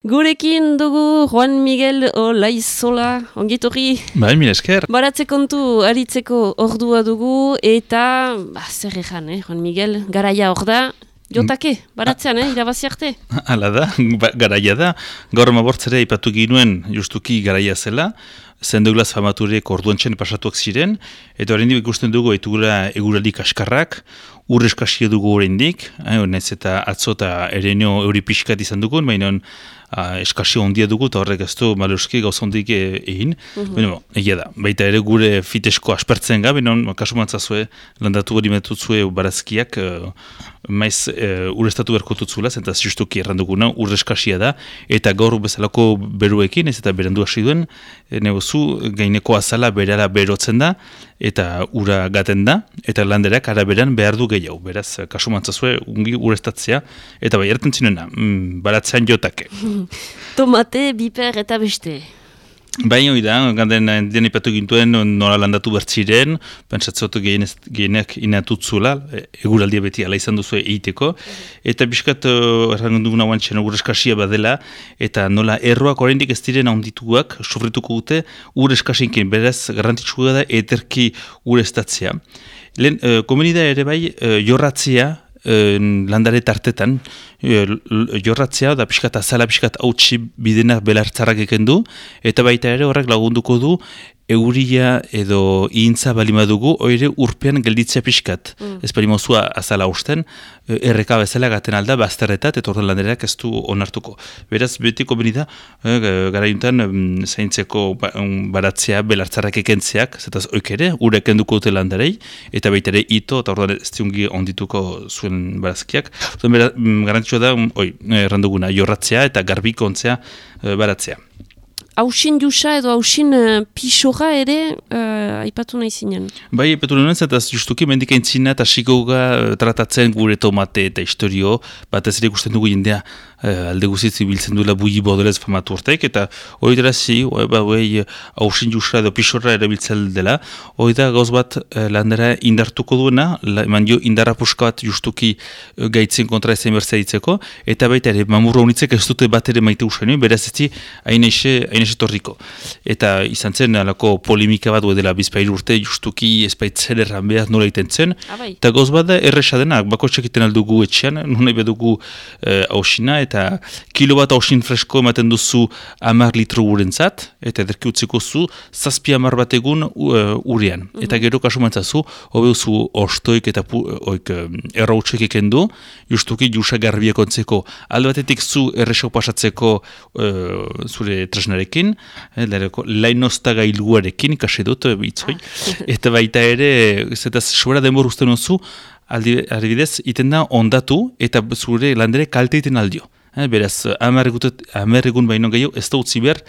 Gurekin dugu Juan Miguel Olaizola, ongitorri. Bai, mila esker. Baratze kontu aritzeko ordua dugu eta, zer egan, Juan Miguel, garaia hor da, jotake, baratzean, irabazi arte. Hala da, garaia da. Gaur mabortzera ipatu ginuen justuki garaia zela, St. Douglas famaturek orduantxen pasatuak ziren, eta horrendik ikusten dugu etugula eguraldik askarrak, ur eskasia dugu horrendik, naiz eta atzo eta ereneo euri pixkat izan dugun, baina eskasio ondia dugu, eta horrek ez du maluski gauz ondik egin. Egia da, baita ere gure fitesko aspertzen ga, baina kasu mantzazue, landatu hori metutzue barazkiak, maiz urestatu berkotutzula, zenta justuki erranduguna, ur eskasia da, eta gaur bezalako beruekin, ez eta berandu hasi duen, negozu gaineko azala berara berotzen da, eta ura gaten da, eta landerak araberan behar du gehiago. Beraz, kasu mantzazue, ungi urestatzea, eta bai erten zinena, baratzean jotake. Tomate, biper eta beste. Bai, hori da, ganden ipatu gintuen nola landatu bertziren, pentsatzeotu gehienak inatutzula, eguraldia beti ala izan duzu egiteko, eta biskat errangunduguna guantxen ur eskasia badela, eta nola erroak oraindik ez diren handituak, sofrituko dute ur eskasinkin, beraz garrantzitsua da eterki urestatzea. Lehen, komunida ere bai, jorratzea, landare tartetan, jorratzea da pixkat azala pixkat hautsi bidenak belartzarrak eken du, eta baita ere horrek lagunduko du euria edo ihintza balimadugu, oire urpean gelditzea pixkat. Ez balimozua azala hausten, erreka bezala gaten alda, bazterretat, eta orduan landereak ez du onartuko. Beraz, beti komunida, garaiuntan zaintzeko baratzea, belartzarrak ekentzeak, zetaz oik ere, urek enduko dute landarei, eta baita ere ito, eta orduan ez diungi ondituko zuen barazkiak. Garantzua da, erranduguna, jorratzea eta garbiko ontzea baratzea. Hausin jusa edo hausin pixoga ere aipatu nahi zinen. Bai, aipatu nahi zinen, eta justuki mendik aintzina eta xikoga tratatzen gure tomate eta historio, bat ez ere ikusten dugu jendea alde guzitz biltzen duela bugi bodolez famatu hortek, eta hori dara zi, hausin jusa edo pixorra erabiltzen dela, hori da gauz bat landera indartuko duena, eman dio indarra puska bat justuki gaitzen kontra ezen berzea ditzeko, eta baita ere, mamurra honitzek ez dute bat ere maite usaino, beraz ez di hain torriko. Eta izan zen alako polemika bat dela bizpailu urte justuki espaitzen erran behar nola iten zen. Eta gauz bat da erresa denak, bako txekiten aldugu etxean, nuna bedugu hausina, eta kilo bat hausin fresko ematen duzu 10 litro urentzat, eta ederki utziko zu, 7 bat egun urean. Eta gero kasu mantzazu, hobeduzu ostoik eta errautxek eken du, justuki jusa garbiak ontzeko. Alde batetik zu erresau pasatzeko zure tresnarekin, lainozta gailuarekin, ikasi dut, bitzoi, eta baita ere, zetaz, sobera denbor usten oso, adibidez, iten da ondatu, eta zure landere kalte iten aldio. Beraz, 10 egun baino gehiago, ez da utzi behar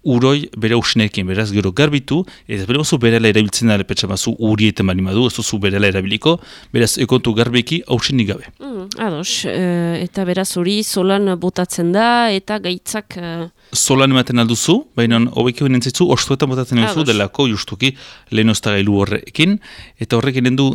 uroi bere hausinekin, beraz, gero garbitu, eta bere oso berela erabiltzen dara petxamazu urieten balimadu, ez oso berela erabiliko, beraz, ekontu garbeki hausinik gabe. Ados, eta beraz hori solan botatzen da, eta gaitzak... Solan ematen alduzu, baina hobeki honen zitzu, ostoetan botatzen duzu delako justuki lehenozta gailu horrekin, eta horrek egin du,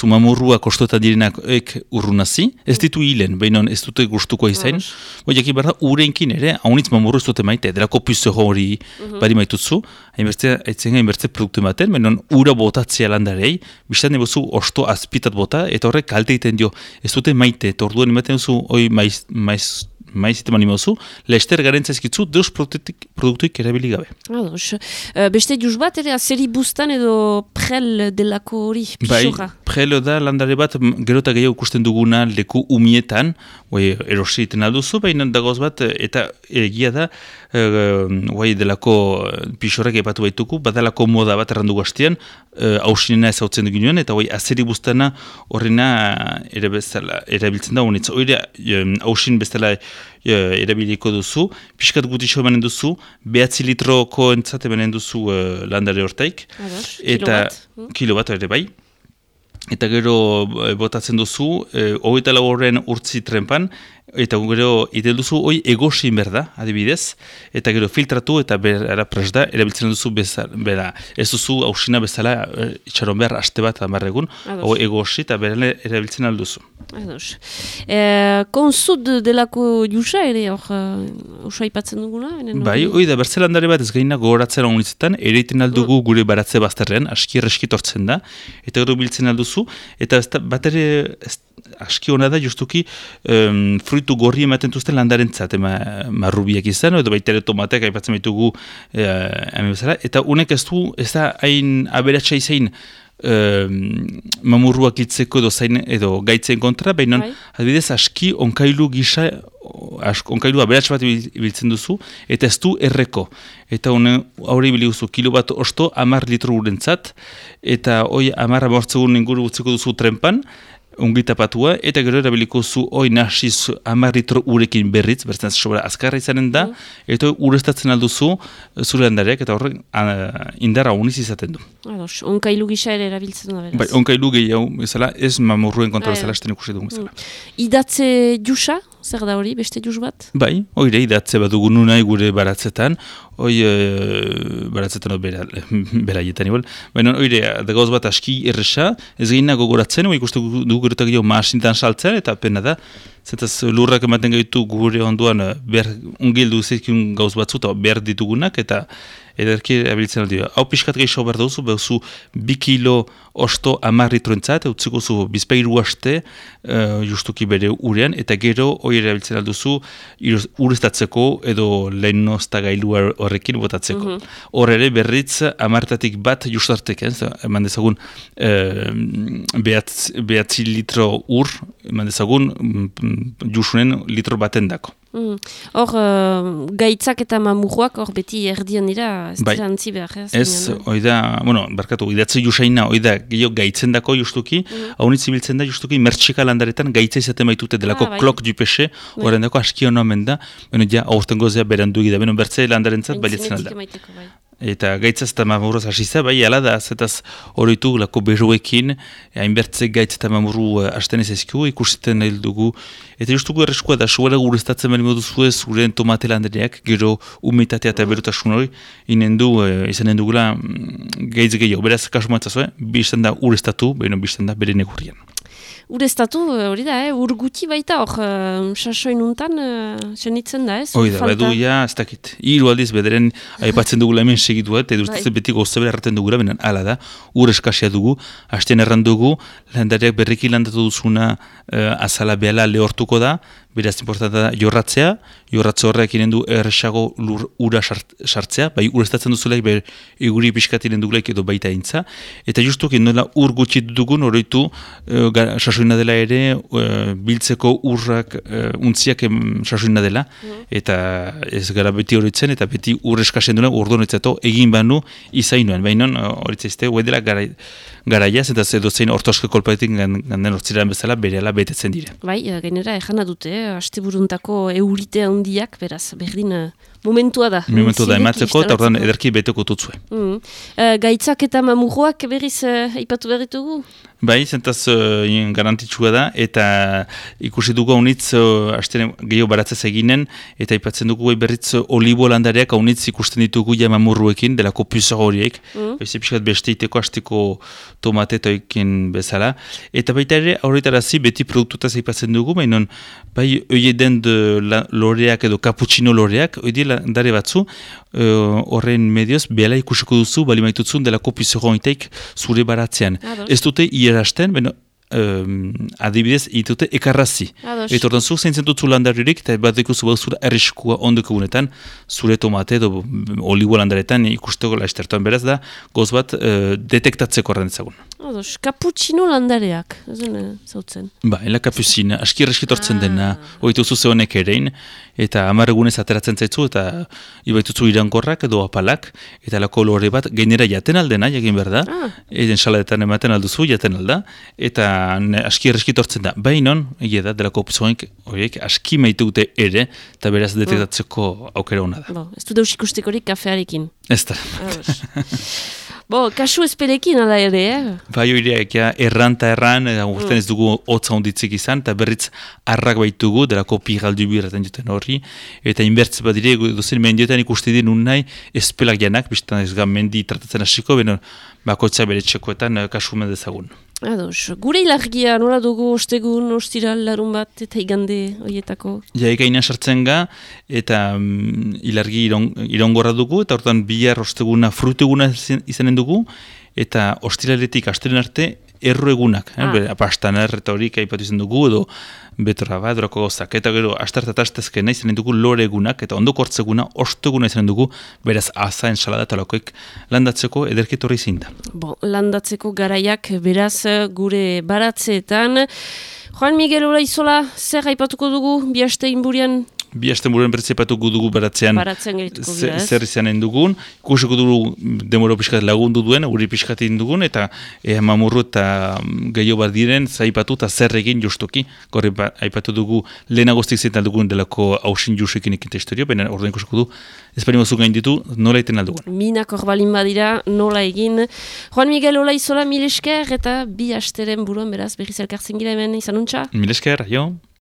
mamurruak ostoetan direnak urrunazi, ez ditu hilen, baina ez dute gustuko izain, jakin behar da, urenkin ere, haunitz mamurru ez dute maite, delako pizzo hori bari maitutzu, hainbertze produktu ematen, baina ura botatzea landarei, biztan nebozu osto azpitat bota, eta horrek kalte egiten dio, ez dute maite, eta orduan ematen duzu, maizite manimozu, lehester garentzazkitzu deus produktuik erabili gabe. Ados. Beste juz bat, ere, azeri bustan edo prel delako hori, pixoga? Bai, prel da landare bat, gero eta gehiago ikusten duguna leku umietan, erosi iten alduzu, baina dagoz bat, eta egia da, delako pixorrak epatu baituku, badalako moda bat errandu gaztian, hausinena ezautzen duginuen, eta azeri bustana horrena erabiltzen da honetz. Hausin bestela erabiliko duzu, pixkat gutixo emanen duzu, 9 litroko entzat emanen duzu landare hortaik. Eta kilo bat ere bai. Eta gero botatzen duzu, 24 horren urtzi trenpan, eta gero iten duzu hoi egosin berda, adibidez, eta gero filtratu eta bera prest da, erabiltzen duzu bera, ez duzu hausina bezala itxaron behar aste bat amarregun, hau egosi eta bera erabiltzen alduzu. Ados. Konsud delako jusa ere hor usua ipatzen duguna? Bai, hoi da, bertzelandare bat ez gaina gogoratzen honitzetan, ere iten aldugu gure baratze bazterrean, aski erreskitortzen da, eta gero biltzen alduzu, eta bat ere aski hona da justuki fruitu gorri ematen duzten landarentzat, marrubiak izan, edo baita ere tomateak aipatzen baitugu hemen bezala, eta unek ez da hain aberatsa izain mamurruak hiltzeko edo gaitzen kontra, baina adibidez aski onkailu gisa, onkailu aberats bat biltzen duzu, eta ez du erreko. Eta haure biliguzu kilo bat osto 10 litro urentzat, eta hoi 10 amortzegun inguru utziko duzu trenpan, ungitapatua, eta gero erabiliko zu hoi nasiz 10 litro urekin berriz, bertzen sobra azkarra izanen da, eta urestatzen alduzu zure handareak, eta horrek indarra uniz izaten du. Ados, onkailu gisa ere erabiltzen da beraz. Bai, onkailu gehiago bezala, ez mamurruen kontra bezala esten ikusi dugu bezala. Idatze jusa, zer da hori, beste jus bat? Bai, oire idatze bat dugu nunai gure baratzetan, baratzetan beraietan igual, baina oire, da gauz bat aski erresa, ez gehina gogoratzen, ikuste dugu gerotak jo maasintan saltzen, eta pena da, zentaz lurrak ematen gaitu gure onduan ungildu zizkiun gauz batzu, eta behar ditugunak, eta ederki abiltzen aldi. Hau pixkat gehiago behar duzu, behuzu 2 kilo osto 10 litroentzat, utziko zu bizpeiru haste justuki bere urean, eta gero hori erabiltzen alduzu urestatzeko edo lehenozta gailu horrekin botatzeko. Hor ere berriz 10 bat justartek, eman dezagun behatzi litro ur, eman dezagun jusunen litro baten dako. Hor, gaitzak eta mamurroak hor beti erdian dira, ez dira antzi behar. Ez, oida, barkatu, idatze jusaina, oida gehiago gaitzen dako justuki, haunitz ibiltzen da justuki mertxika landaretan gaitza izaten baitute delako klok dupese, horren dako aski hona omen da, ja, aurten gozea berandu egida, bertze landarentzat baliatzen alda. Eta gaitzaz eta mamurroz hasiza, bai, ala da, zetaz horitu lako beruekin, hainbertze gaitz eta mamurru hasten ez ezkiu, ikusiten nahi dugu. Eta justuko erreskua da, suela gurestatzen bali moduzu ez, uren tomate landareak, gero humitatea eta berutasun hori, izanen dugula gaitz gehiago. Beraz, kasu maitzazu, bizten da urestatu, baina bizten da bere negurrian. Urestatu, hori da, ur guti baita hor, sasoin untan, senitzen da, ez? Hori da, bedu, ja, ez dakit. Hiru aldiz bederen aipatzen dugula hemen segitu, eta edurtatzen beti gozabera erraten dugula, benen ala da, ur eskasia dugu, hasten erran dugu, landareak berriki landatu duzuna azala behala lehortuko da, beraz importanta da jorratzea horrek inen du erresago ura sartzea, bai urestatzen duzulaik, bai eguri pixkat inen dugulaik edo baita intza, eta justuki nola ur gutxi dugun horretu sasoina dela ere, biltzeko urrak untziak sasoina dela, eta ez gara beti horretzen, eta beti ur eskasen duen ordonetzatu egin banu izainoan, baina horretzaizte, hue dela garaiaz, eta edo zein ortoske kolpaetik ganden hortziran bezala berehala betetzen dire. Bai, gainera ejana dute, asteburuntako eurite handiak, beraz, berdin momentua da. Momentua da, ematzeko, eta ordan ederki beteko tutzue. Gaitzak eta mamurroak berriz aipatu berritugu? Bai, zentaz garantitxua da, eta ikusi dugu haunitz gehiago baratzez eginen, eta aipatzen dugu berriz olibo landareak haunitz ikusten ditugu ja mamurruekin, delako puzar horiek, pixkat besteiteko hasteko tomatetoekin bezala, eta baita ere, horretarazi beti produktutaz aipatzen dugu, baina bai, oieden loreak edo cappuccino loreak, oide landare batzu, horren medioz, behala ikusiko duzu, bali maitutzun delako puzar horitaik zure baratzean. Ez dute irasten, adibidez, itute ekarrazi. Eta ordan zu zeintzen dut zu landaririk, eta bat dekuzu bauzura erriskua ondoko gunetan, zure tomate edo olibo landaretan ikusteko laiztertuan beraz da, goz bat detektatzeko horren ezagun. Cappuccino landareak, zautzen. Ba, ela cappuccino, aski erreskitortzen dena, oituzu zehonek erein, eta 10 egunez ateratzen zaitzu, eta ibaitutzu irankorrak edo apalak, eta lako lore bat gainera jaten aldena, jakin behar da, eden saladetan ematen alduzu, jaten alda, eta aski erreskitortzen da. Bainon, egia da, delako opzoink horiek aski maitute ere, eta beraz detektatzeko aukera hona da. Ez du deus ikustekorik kafearekin. Ez da. Bo, kasu ezpelekin ala ere, Bai horiek, erran eta erran, urten ez dugu hotza onditzik izan, eta berriz arrak baitugu, delako piraldu birraten juten horri, eta inbertze bat dire, dozen mendiotan ikuste dira nun nahi, ezpelak janak, biztan ez mendi tratatzen hasiko, beno, bakoitza bere txekoetan kasu mendezagun. Ados, gure ilargia nola dugu ostegun, ostiral, larun bat, eta igande horietako? Ja, ekaina sartzen ga, eta ilargi irongorra dugu, eta hortan bihar osteguna fruteguna izanen dugu, eta ostiraletik astelen arte erro egunak. Pastaner eta horik aipatu izan dugu, edo betorra bat, dorako gozak. Eta gero, astartataztezkena izanen dugu lore egunak, eta ondoko hortzeguna, osteguna izanen dugu, beraz aza, ensalada eta lakoek landatzeko ederketorri zinda. Bon, landatzeko garaiak beraz gure baratzeetan. Juan Miguel Olaizola, zer aipatuko dugu, bi aste inburian? Bi asten buruan bertzepatuko dugu baratzean zer izanen dugun. Ikusiko dugu demoro pixkat lagundu duen, uri pixkat dugun, eta mamurru eta gehiago bat diren, zaipatu eta zer egin justuki. Gorri aipatu dugu lehenagoztik zetan dugun delako hausin justekin ekinte historio, baina orduan ikusiko du, esparimozuk gain ditu, nola egiten aldugun. Minak horbalin badira, nola egin. Juan Miguel Olaizola, mil esker, eta bi asteren buruan beraz, berriz elkartzen gira hemen, izan untxa? Mil esker, jo.